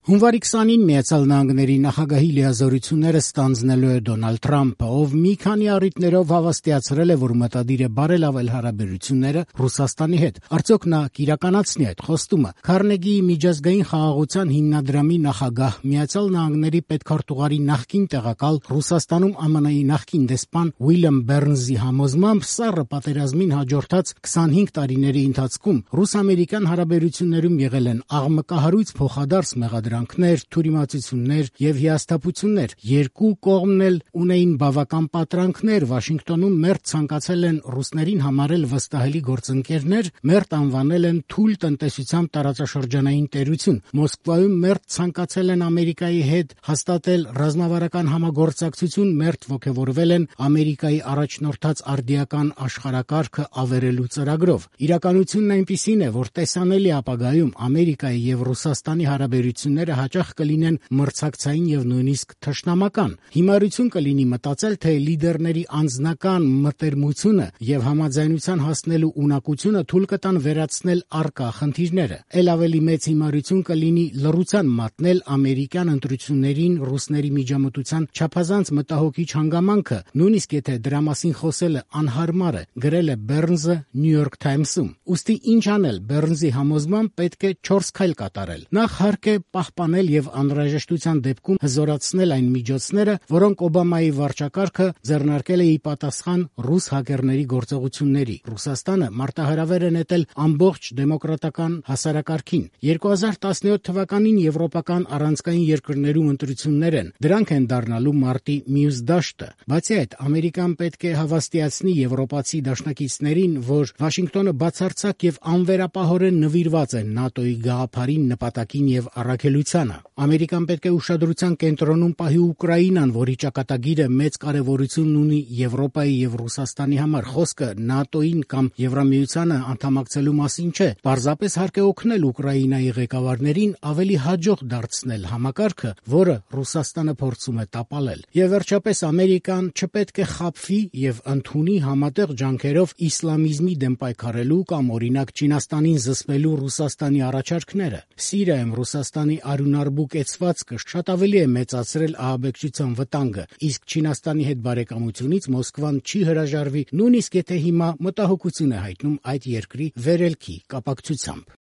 Հունվարի 20-ին Միացյալ Նահանգների նախագահի լիազորությունները ստանձնելու է Դոնալդ Թրամփը, ով մի քանի առիթներով հավաստիացրել է, որ մտադիր է բարելավել հարաբերությունները Ռուսաստանի հետ։ Արդյոք նա կիրականացնի այդ խոստումը։ Քարնեգիի միջազգային խաղաղության հիմնադրամի նախագահ, Միացյալ Նահանգների պետքարտուղարի նախկին տեղակալ, Ռուսաստանում ԱՄՆ-ի նախկին դեսպան Ուիլյամ Բեռնզի համոզմամբ սառը պատերազմին հաջորդած 25 տարիների ընթացքում ռուս-ամերիկյան հարաբերություններում եղել են աղմկահարույց փոխադարձ մեղադրանքներ, թյուրիմացություններ եւ հիասթափություններ։ Երկու կողմն էլ ունեին բավական պատրանքներ, Վաշինգտոնում մերթ ցանկացել են ռուսներին համարել վստահելի գործընկերներ, մերթ անվանել են թույլ տնտեսությամբ տարածաշրջանային տերություն, Մոսկվայում մերթ ցանկացել են Ամերիկայի հետ հաստատել ռազմավարական համագործակցություն, մերթ ոգևորվել են Ամերիկայի առաջնորդած արդիական աշխարհակարգը ավերելու ծրագրով։ Իրականությունն այնպիսին է, որ տեսանելի ապագայում Ամերիկայի եւ Ռուսաստանի հարաբերությունները հաճախ կլինեն մրցակցային եւ նույնիսկ թշնամական։ Հիմարություն կլինի մտածել, թե լիդերների անձնական մտերմությունը եւ համաձայնության հասնելու ունակությունը թույլ կտան վերացնել առկա խնդիրները։ Էլ ավելի մեծ հիմարություն կլինի լռության մատնել ամերիկյան ընտրություններին ռուսների միջամտության չափազանց մտահոգիչ հանգամանքը, նույնիսկ եթե դրա մասին խոսելը անհարմար է, գրել է Բեռնզը New York Times-ում։ Ուստի ինչ անել, Բեռնզի համոզմամբ պետք է 4 քայլ կատարել։ Նախ հարկ է պահպանել եւ անհրաժեշտության դեպքում հզորացնել այն միջոցները, որոնք Օբամայի վարչակարգը ձեռնարկել է ի պատասխան ռուս հակերների գործողությունների։ Ռուսաստանը մարտահրավեր է նետել ամբողջ դեմոկրատական հասարակարգին։ 2017 թվականին եվրոպական առանցքային երկրներում ընտրություններ են։ Դրանք են դառնալու մարտի մյուս դաշտը։ Բացի այդ, Ամերիկան պետք է հավաստիացնի եվրոպացի դաշնակիցներին, որ Վաշինգտոնը բացարձակ եւ անվերապահորեն նվիրված է ՆԱՏՕ-ի գաղափարին, նպատակին եւ առաքելությանը։ Ամերիկան պետք է ուշադրության կենտրոնում պահի Ուկրաինան, որի ճակատագիրը մեծ կարեւորություն ունի Եվրոպայի եւ Ռուսաստանի համար։ Խոսքը ՆԱՏՕ-ին կամ Եվրամիությանը անդամակցելու մասին չէ։ Պարզապես հարկ է օգնել Ուկրաինայի ղեկավարներին ավելի հաջող դարձնել համակարգը, որը Ռուսաստանը փորձում է տապալել։ Եվ վերջապես Ամերիկան չպետք է խաբվի եւ ընդունի համատեղ ջանքերով իսլամիզմի դեմ պայքարելու կամ օրինակ Չինաստանին զսպելու Ռուսաստանի առաջարկները։ Սիրիայում Ռուսաստանի արյունարբու կեցվածքը շատ ավելի է մեծացրել ահաբեկչության վտանգը, իսկ Չինաստանի հետ բարեկամությունից Մոսկվան չի հրաժարվի, նույնիսկ եթե հիմա մտահոգություն է հայտնում այդ երկրի վերելքի կապակցությամբ։